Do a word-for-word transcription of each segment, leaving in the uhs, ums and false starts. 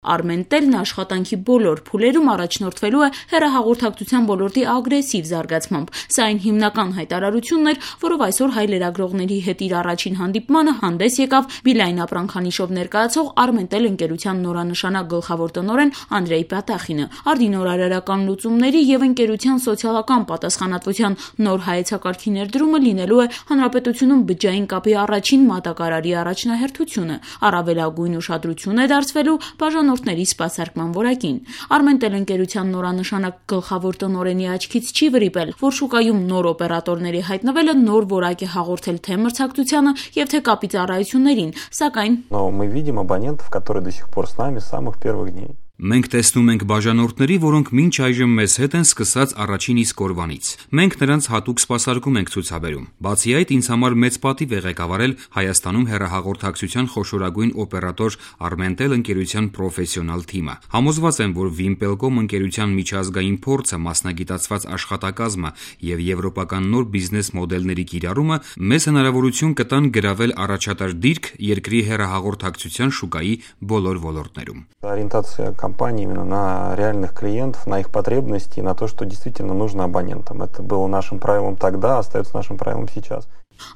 Armentel-ն աշխատանքի բոլոր փուլերում առաջնորդվելու է հեռահաղորդակցության ոլորտի ագրեսիվ զարգացմամբ։ Սա այն հիմնական հայտարարությունն էր, որով այսօր հայ լրագրողների հետ իր առաջին հանդիպմանը հանդես եկավ Beeline ապրանքանիշով ներկայացող Armentel ընկերության նորանշանակ գլխավոր տնօրեն Անդրեյ Պատախինը։ Արդի նորարարական լուծումների եւ ընկերության սոցիալական պատասխանատվության նոր հայեցակարգի ներդրումը լինելու է հանրապետությունում բջջային կապի առաջին մատակարարի առաջնահերթությունը։ Առավելագույն ուշադրություն է դարձվելու բաժանորդների սպասարկման որակին։ Armentel ընկերության նորանշանակ գլխավոր տնօրենի աչքից չի վրիպել, որ շուկայում նոր օպերատորների հայտնվելը նոր որակ է հաղորդել թե մրցակցությանը եւ թե կապի ծառայություններին, սակայն мы видим абонентов, которые до сих пор с нами с самых первых дней. Մենք տեսնում ենք բաժանորդների, որոնք մինչ այժմ մեզ հետ են սկսած առաջին իսկ օրվանից։ Մենք նրանց հատուկ սպասարկում ենք ցուցաբերում։ Բացի այդ, ինձ համար մեծ պատիվ է ղեկավարել Հայաստանում հեռահաղորդակցության խոշորագույն օպերատոր Armentel ընկերության պրոֆեսիոնալ թիմը։ Համոզված եմ, որ Wimpelcom ընկերության միջազգային փորձը, մասնագիտացված աշխատակազմը եւ եվրոպական նոր բիզնես մոդելների կիրառումը մեզ հնարավորություն կտան գրավել առաջատար դիրք երկրի հեռահաղորդակցության շուկայի բոլոր ոլորտներում։ Ориентация компании именно на реальных клиентов, на их потребности и на то, что действительно нужно абонентам. Это было нашим правилом тогда, остается нашим правилом сейчас.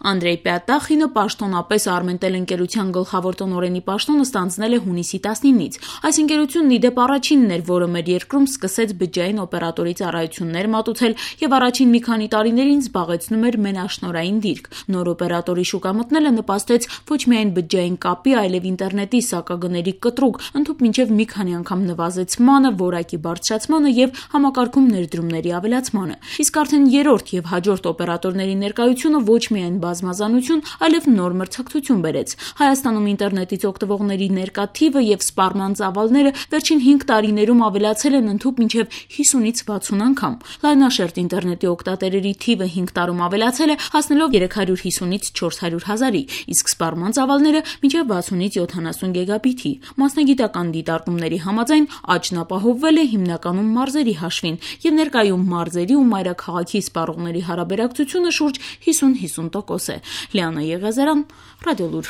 Անդրեյ Պատախինը պաշտոնապես Armentel ընկերության գլխավոր տնօրենի պաշտոնը ստանձնել է հունիսի տասնինից։ Այս ընկերությունն ի դեպ առաջինն էր, որը մեր երկրում սկսեց բջջային օպերատորի ծառայություններ մատուցել եւ առաջին մի քանի տարիներին զբաղեցնում էր մենաշնորհային դիրք։ Նոր օպերատորի շուկա մտնելը նպաստեց ոչ միայն բջջային կապի, այլև ինտերնետի սակագների կտրուկ, ընդհուպ մինչեւ մի քանի անգամ նվազեցմանը, որակի բարձրացմանը եւ համակարգում ներդրումների ավելացմանը։ Իսկ արդեն երրորդ եւ հաջորդ օպերատորների ներկայությունը ոչ միայն բազմազանություն, այլև նոր մրցակցություն բերեց։ Հայաստանում ինտերնետից օգտվողների ներկա թիվը եւ սպառման ծավալները վերջին հինգ տարիներում ավելացել են ընդհուպ մինչեւ հիսունից վաթսուն անգամ։ Լայնաշերտ ինտերնետի օգտատերերի թիվը հինգ տարում ավելացել է, հասնելով երեք հարյուր հիսունից չորս հարյուր հազարի, իսկ սպառման ծավալները մինչեւ վաթսունից յոթանասուն գիգաբիթի։ Մասնագիտական դիտարկումների համաձայն աճն ապահովվել է հիմնականում մարզերի հաշվին եւ ներկայում մարզերի ու մայրաքաղաքի սպառողների հարաբերակցությունը շուրջ հիսուն հիսուն տոկոս է։ Լիանա Եղիազարյան, Ռադիոլուր։